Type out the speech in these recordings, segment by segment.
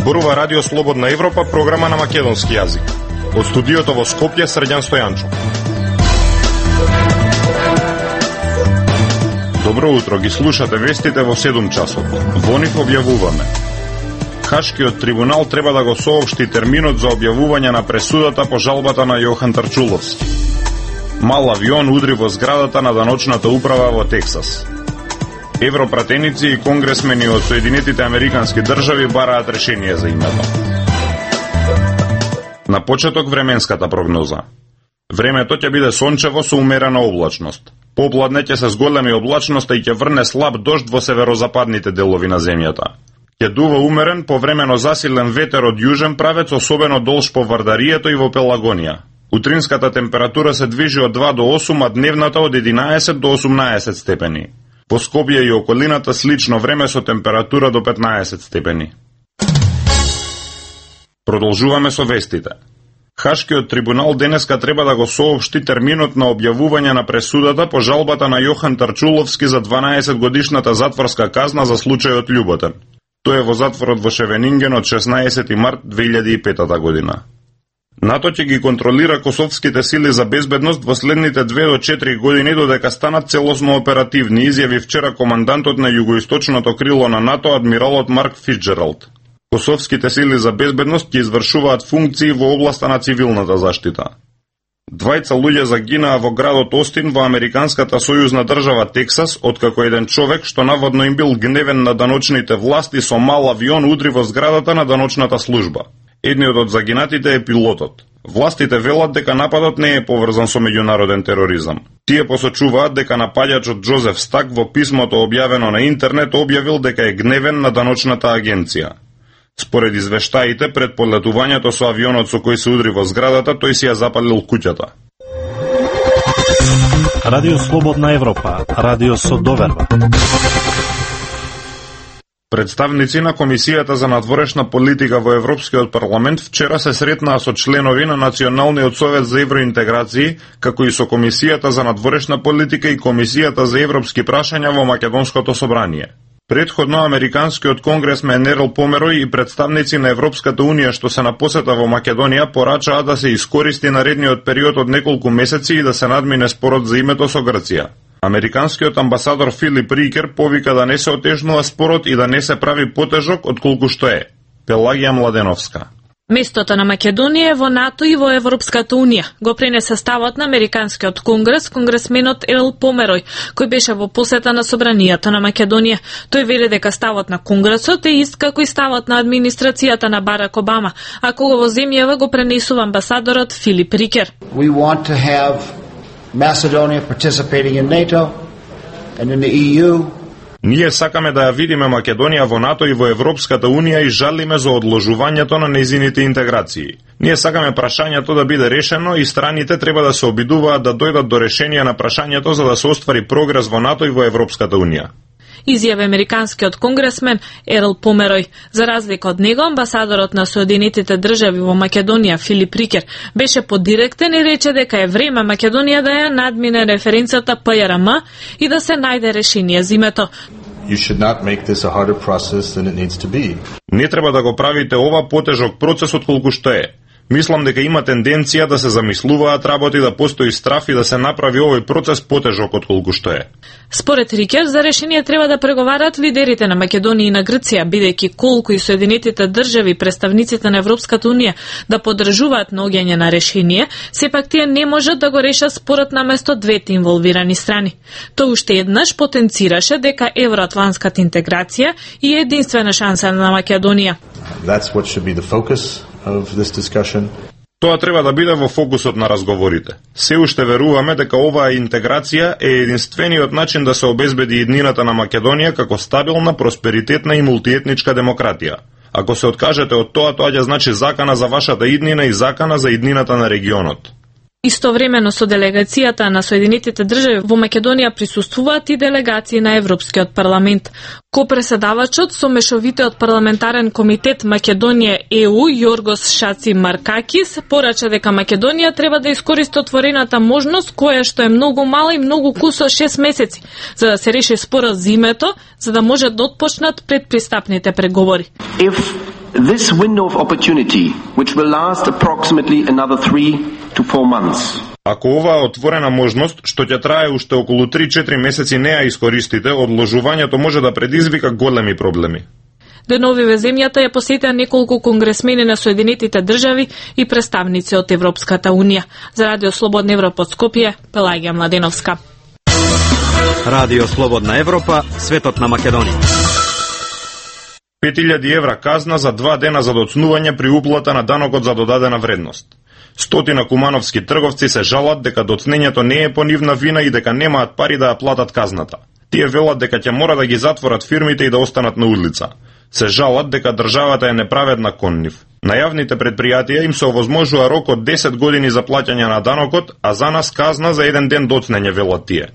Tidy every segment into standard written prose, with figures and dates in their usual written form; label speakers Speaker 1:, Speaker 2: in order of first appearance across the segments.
Speaker 1: Зборува Радио Слободна Европа, програма на македонски јазик. Од студиото во Скопје, Срđan Стојанчов. Добро утро, ги слушате вестите во 7 часот. Во нив објавуваме: Хашкиот трибунал треба да го соопшти терминот за објавување на пресудата по жалбата на Јохан Тарчуловски. Мал авион удри во зградата на даночната управа во Тексас. Европратеници и конгресмени од Соединетите Американски држави бараат решение за името. На почеток временската прогноза. Времето ќе биде сончево со умерена облачност. Попладне ќе се зголеми облачноста и ќе врне слаб дожд во северозападните делови на земјата. Ќе дува умерен, повремено засилен ветер од јужен правец, особено долж по Вардарието и во Пелагонија. Утринската температура се движи од 2 до 8, а дневната од 11 до 18 степени. По Скопје и околината слично време со температура до 15 степени. Продолжуваме со вестите. Хашкиот трибунал денеска треба да го соопшти терминот на објавување на пресудата по жалбата на Јохан Тарчуловски за 12 годишната затворска казна за случајот Љуботен. Тој е во затворот во Шевенинген од 16 март 2005 година. НАТО ќе ги контролира косовските сили за безбедност во следните 2 до 4 години додека станат целосно оперативни, изјави вчера командантот на југоисточното крило на НАТО, адмиралот Марк Фицџералд. Косовските сили за безбедност ќе извршуваат функции во областа на цивилната заштита. 2 луѓе загинаа во градот Остин во американската сојузна држава Тексас, откако еден човек што наводно им бил гневен на даночните власти со мал авион удри во зградата на даночната служба. Едниот од загинатите е пилотот. Властите велат дека нападот не е поврзан со меѓународен тероризам. Тие посочуваат дека напаѓачот Џозеф Стак во писмото објавено на интернет објавил дека е гневен на даночната агенција. Според извештаите, пред полетувањето со авионот со кој се удри во зградата, тој си ја запалил куќата.
Speaker 2: Радио Слободна Европа, радио со доверба.
Speaker 1: Представници на Комисијата за надворешна политика во Европскиот парламент вчера се сретнаа со членови на Националниот совет за евроинтеграции, како и со Комисијата за надворешна политика и Комисијата за европски прашања во Македонското собрание. Предходно американскиот конгресмен Ерл Померој и представници на Европската унија што се на посета во Македонија порачаа да се искористи наредниот период од неколку месеци и да се надмине спорот за името со Грција. Американскиот амбасадор Филип Рикер повика да не се отежнува спорот и да не се прави потежок отколку што е. Пелагија Младеновска.
Speaker 3: Местото на Македонија е во НАТО и во Европската унија. Го пренесе ставот на Американскиот конгрес конгресменот Ерл Померој, кој беше во посета на собранието на Македонија. Тој вели дека ставот на конгресот е ист како и ставот на администрацијата на Барак Обама, а кога во земјава го пренесува амбасадорот Филип Рикер.
Speaker 4: We want to have Macedonia participating in NATO and in the EU.
Speaker 1: Ние сакаме да ја видиме Македонија во НАТО и во Европската унија и жалиме за одложувањето на нејзините интеграции. Ние сакаме прашањето да биде решено и страните треба да се обидуваат да дојдат до решение на прашањето за да се оствари прогрес во НАТО и во Европската унија.
Speaker 3: Изјави американскиот конгресмен Ерл Померој. За разлика од него, амбасадорот на Соединетите држави во Македонија Филип Рикер беше подиректен и рече дека е време Македонија да ја надмине референцата ПРМ и да се најде решение за името.
Speaker 5: You should not make this a harder process than it needs to be.
Speaker 1: Не треба да го правите ова потежок процес отколку што е. Мислам дека има тенденција да се замислуваат работи, да постои страф и да се направи овој процес потежок отколку што е.
Speaker 3: Според Рикер, за решение треба да преговарат лидерите на Македонија и на Грција, бидејќи колку и Соединетите држави, представниците на Европската унија да поддржуваат наоѓање на решение, сепак тие не можат да го решат спорот наместо двете инволвирани страни. Тој уште еднаш потенцираше дека евроатлантската интеграција е единствена шанса на Македонија.
Speaker 5: That's what should be the focus of this discussion.
Speaker 1: Тоа треба да биде во фокусот на разговорите. Се уште веруваме дека оваа интеграција е единствениот начин да се обезбеди иднината на Македонија како стабилна, просперитетна и мултиетничка демократија. Ако се откажете од тоа, тоа ќе значи закана за вашата иднина и закана за иднината на регионот.
Speaker 3: Истовремено со делегацијата на Соединетите држави во Македонија присуствуваат и делегации на Европскиот парламент. Копреседавачот со мешовитиот парламентарен комитет Македонија ЕУ Јоргос Шаци Маркакис порача дека Македонија треба да искористи отворената можност која што е многу мала и многу кусо 6 месеци за да се реши спорот за името, за да може да отпочнат предпристапните преговори.
Speaker 6: If This window of opportunity, which will last approximately another 3 to 4 months.
Speaker 1: Ако оваа отворена можност, што ќе трае уште околу 3-4 месеци, не ја искористите, одложувањето може да предизвика големи проблеми.
Speaker 3: Денови во земјата ја посетија неколку конгресмени на Соединетите држави и представници од Европската унија. За Радио Слободна Европа од Скопје, Пелагија Младеновска.
Speaker 7: Радио Слободна Европа, светот на Македонија.
Speaker 1: 5000 евра казна за 2 дена за доцнување при уплата на данокот за додадена вредност. 100 кумановски трговци се жалат дека доцнењето не е по нивна вина и дека немаат пари да ја платат казната. Тие велат дека ќе мора да ги затворат фирмите и да останат на улица. Се жалат дека државата е неправедна кон нив. На јавните предпријатија им се овозможува рок од 10 години за плаќање на данокот, а за нас казна за 1 ден доцнење, велат тие.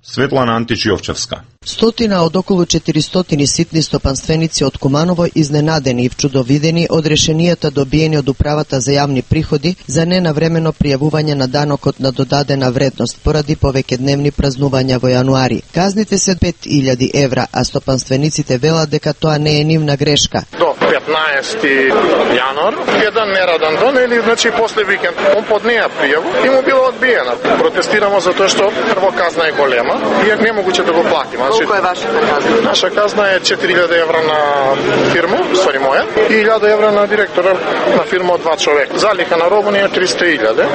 Speaker 1: Светлана Антич-Јовчевска.
Speaker 8: Стотина од околу 400 ситни стопанственици од Куманово изненадени и вчудовидени од решенијата добиени од Управата за јавни приходи за ненавремено пријавување на данокот на додадена вредност поради повеќедневни празнувања во јануари. Казните се 5000 евра, а стопанствениците велат дека тоа не е нивна грешка.
Speaker 9: До 15 јануар, еден нераден ден или значи после викенд, он поднеа пријаву и му било одбиена. Протестирамо затоа што прво казна е голема и е немогуче да го платиме.
Speaker 8: Колку е вашата казна?
Speaker 9: Наша казна е 4000 евра на фирма, ствари моја, и 1000 евра на директора на фирма од 2 човека. Залика на робот е 300.000,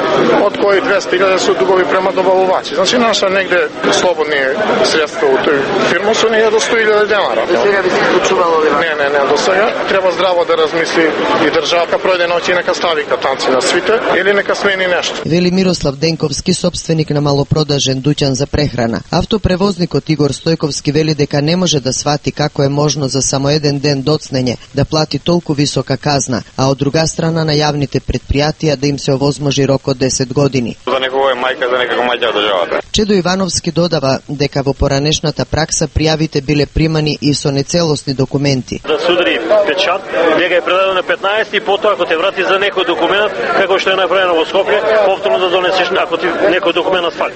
Speaker 9: од кои 200.000 се дугови према добавувачи. Значи наша негде слободни средства од тој фирма се не е до 100.000 денара.
Speaker 8: До сега би се случувало ли?
Speaker 9: Не, до сега треба здраво да размисли и државата пројде ноќ и нека стави катанци на свите или нека смени нешто.
Speaker 8: Вели Мирослав Денковски, собственик на малопродажен дуќан за прехрана. Автопревозникот Игор Стојковски вели дека не може да свати како е можно за само еден ден доцнење да плати толку висока казна, а од друга страна на јавните предпријатија да им се овозможи рок од 10 години.
Speaker 9: За некој е мајка, за некој мајка државата.
Speaker 8: Чедо Ивановски додава дека во поранешната пракса пријавите биле примани и со нецелосни документи.
Speaker 10: Да се удари печат, дека е предадено на 15 и потоа ако те врати за некој документ, како што е направено во Скопје, повторно да донесеш ако ти некој документ фали.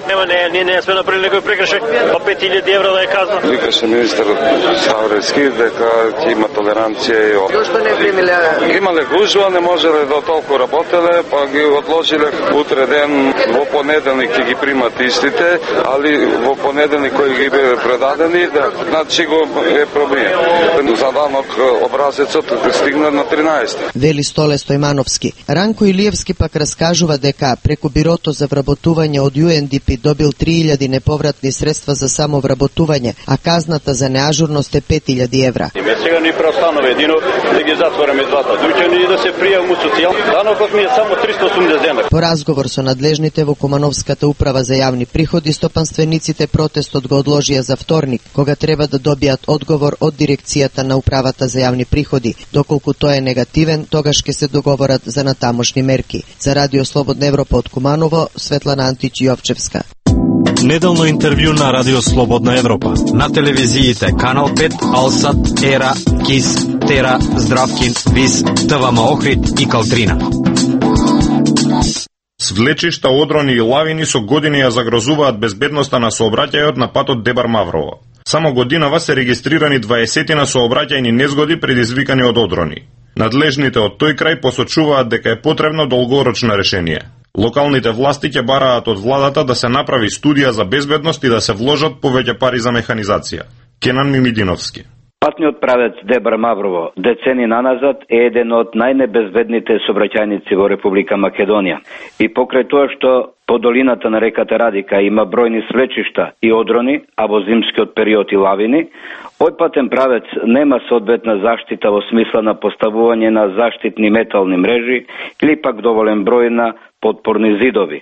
Speaker 10: Не сме направили некој прекршок, па 5000 евра да е казна.
Speaker 11: Викаше министерот Саврески дека ќе има толеранција и
Speaker 8: Зошто не примиле?
Speaker 11: Имале гужва, не можеле да толку работеле, па ги одложиле утре ден, во понеделник ќе ги примат истите, али во понеделник кои ги биле предадени, значи го е проблем. За данок образецот стигна на 13.
Speaker 8: Вели Столе Стојмановски. Ранко Илиевски пак раскажува дека преку Бирото за вработување од UNDP добил 3000 неповратни средства за само вработување, а казната за неажурност е 5000 евра.
Speaker 10: Сега ни преостанува едино да ги затвориме двата дуќани и да се пријавиме социјално. Данокот ми е само 380 дена.
Speaker 8: По разговор со надлежните во Кумановската управа за јавни приходи, стопанствениците протестот го одложија за вторник, кога треба да добијат одговор од дирекцијата на управата за јавни приходи. Доколку тој е негативен, тогаш ќе се договорат за натамошни мерки. За Радио Слободна Европа од Куманово, Светлана Антич-Јовчевска.
Speaker 2: Неделно интервју на Радио Слободна Европа.
Speaker 7: На телевизиите Канал 5, Алсат, Ера, Кис, Тера, Здравкин, Вис, ТВМ Охрид и Калтрина.
Speaker 1: Свлечишта, одрони и лавини со години ја загрозуваат безбедноста на сообраќајот на патот Дебар-Маврово. Само годинава се регистрирани 20 сообраќајни незгоди предизвикани од одрони. Надлежните од тој крај посочуваат дека е потребно долгорочно решение. Локалните власти ќе бараат од владата да се направи студија за безбедност и да се вложат повеќе пари за механизација. Кенан Мимидиновски.
Speaker 12: Патниот правец Дебар-Маврово децени наназад е еден од најнебезбедните сообраќајници во Република Македонија. И покрај тоа што по долината на реката Радика има бројни свлечишта и одрони, а во зимскиот период и лавини, овој патен правец нема соодветна заштита во смисла на поставување на заштитни метални мрежи или пак доволен број на подпорни зидови.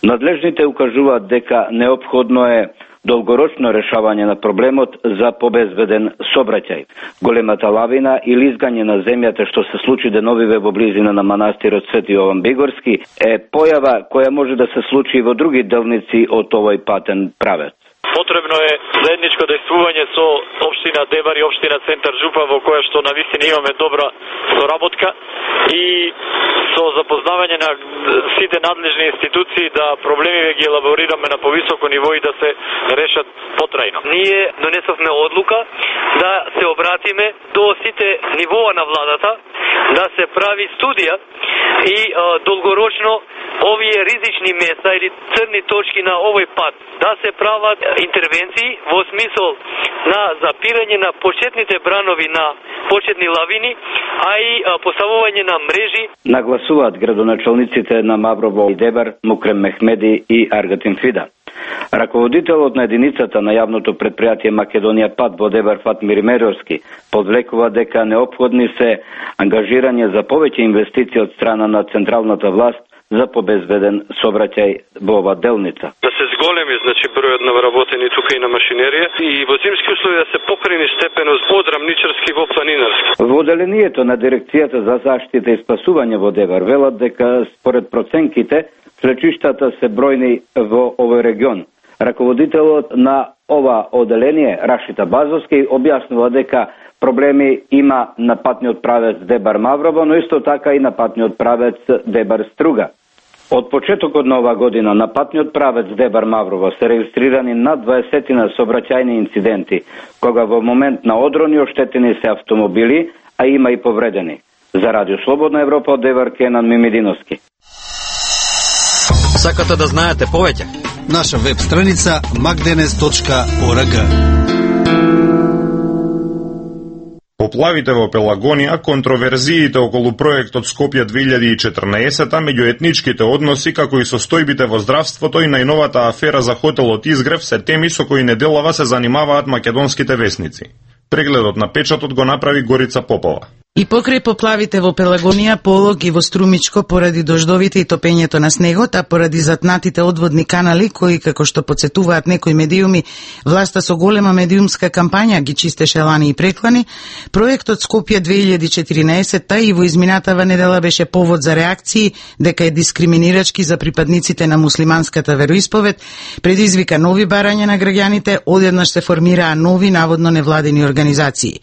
Speaker 12: Надлежните укажуваат дека неопходно е долгорочно решавање на проблемот за побезбеден сообраќај. Големата лавина или изгање на земјата што се случи деновиве во близина на манастирот Свети Јован Бигорски е појава која може да се случи и во други делници од овој патен правец.
Speaker 10: Потребно е заедничко действување со општина Дебар и општина Центар Жупа, во која што навистина имаме добра соработка и со запознавање на сите надлежни институции да проблемиве ги елаборираме на повисоко ниво и да се решат потрајно. Ние донесовме одлука да се обратиме до сите нивоа на владата, да се прави студија и долгорочно овие ризични места или црни точки на овој пат да се прават интервенции во смисол на запирање на почетните бранови на почетни лавини, а и поставување на мрежи.
Speaker 12: Нагласуваат градоначалниците на Маврово и Дебар Мукрем Мехмеди и Аргатин Фида. Раководителот на единицата на јавното предпријатие Македонија Пат во Дебар Фатмир Меровски подвлекува дека неопходни се ангажирање за повеќе инвестиции од страна на централната власт за побезбеден сообраќај во ова делница.
Speaker 13: Да се зголеми, бројот на вработени тука и на машинерија и во зимски услови да се покрени степеност од рамничарски во планинарски. Во
Speaker 12: одделението на дирекцијата за заштита и спасување во Дебар велат дека според проценките слечиштата се бројни во овој регион. Раководителот на ова одделение Рашита Базовски објаснува дека проблеми има на патниот правец Дебар Маврово, но исто така и на патниот правец Дебар Струга. Од почетокот на ова година на патниот правец Дебар Маврово се регистрирани над 20 сообраќајни инциденти, кога во момент на одрони оштетени се автомобили, а има и повредени. За Радио Слободна Европа од Дебар Кенан Мимидиновски.
Speaker 7: Сакате да знаете повеќе?
Speaker 2: Наша веб страница magdenes.org.
Speaker 1: Поплавите во Пелагонија, контроверзиите околу проектот Скопје 2014, меѓуетничките односи, како и состојбите во здравството и најновата афера за хотелот Изгрев се теми со кои неделава се занимаваат македонските весници. Прегледот на печатот го направи Горица Попова.
Speaker 14: И покрај поплавите во Пелагонија, Полог и во Струмичко поради дождовите и топењето на снегот, а поради затнатите одводни канали, кои, како што подсетуваат некои медиуми, власта со голема медиумска кампања ги чистеше лани и преклани, проектот Скопје 2014 и во изминатава недела беше повод за реакции дека е дискриминирачки за припадниците на муслиманската вероисповед, предизвика нови барања на граѓаните, одеднаш се формираа нови наводно невладени организации.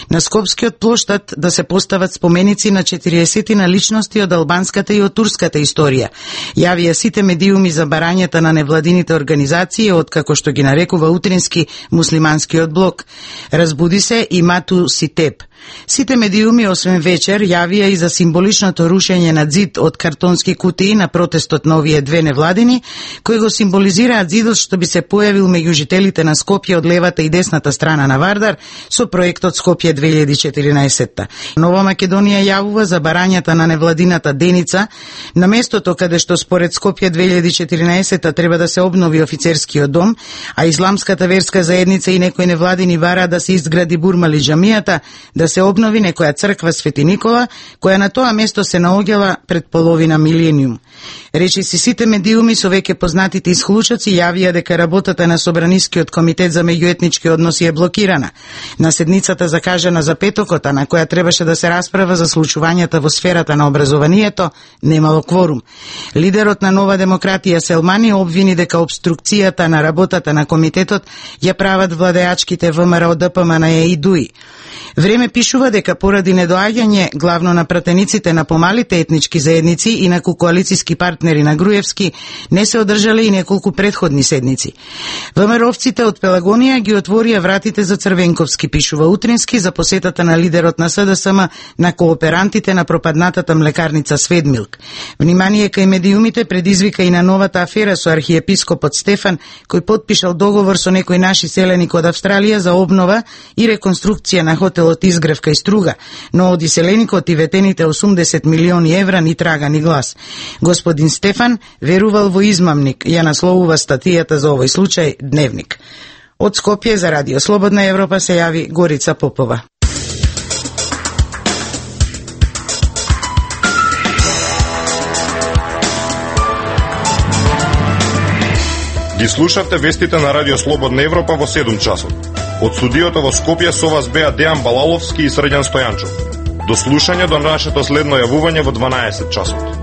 Speaker 14: На Скопскиот плоштад да се постават споменици на 40 на личности од албанската и од турската историја. Јавија сите медиуми за барањата на невладините организации од, како што ги нарекува утрински, муслиманскиот блок. Разбуди се и Мату Ситеп. Сите медиуми, освен вечер, јавија и за символичното рушење на зид од картонски кутии на протестот на овие две невладини, кои го символизираат зидот што би се појавил меѓу жителите на Скопје од левата и десната страна на Вардар со проектот Скопје 2014. Нова Македонија јавува за барањата на невладината Деница, на местото каде што според Скопје 2014 треба да се обнови офицерскиот дом, а исламската верска заедница и некои невладини бараат да се изгради Бурмали џамијата, да се обнови некоја црква Свети Никола, која на тоа место се наоѓала пред половина милениум. Речиси сите медиуми со веќе познатите исклучоци јавија дека работата на Собранискиот комитет за меѓуетнички односи е блокирана. На седницата закажана за петокот, на која требаше да се расправа за случувањата во сферата на образованието, немало кворум. Лидерот на Нова демократија Селмани обвини дека обструкцијата на работата на комитетот ја прават владеачките ВМРО ДПМН и ДУИ. Време пишува дека поради недоаѓање главно на пратениците на помалите етнички заедници и на коалициски партнери на Груевски не се одржале и неколку предходни седници. ВМРО-овците од Пелагонија ги отворија вратите за Црвенковски, пишува Утрински, за посетата на лидерот на СДСМ на кооперантите на пропаднатата млекарница Сведмилк. Внимание кај медиумите предизвика и на новата афера со архиепископот Стефан, кој потпишал договор со некои наши селеник од Австралија за обнова и реконструкција на хотелот Изгрев кај Струга, но од иселеникот и ветените 80 милиони евра ни трага ни глас. Господин Стефан верувал во измамник, ја насловува статијата за овој случај Дневник. Од Скопје за Радио Слободна Европа се јави Горица Попова.
Speaker 1: Ги слушавте вестите на Радио Слободна Европа во 7 часот. Од студиото во Скопје со вас беа Дејан Балаловски и Срđan Стојанчов. До слушање до нашето следно јавување во 12 часот.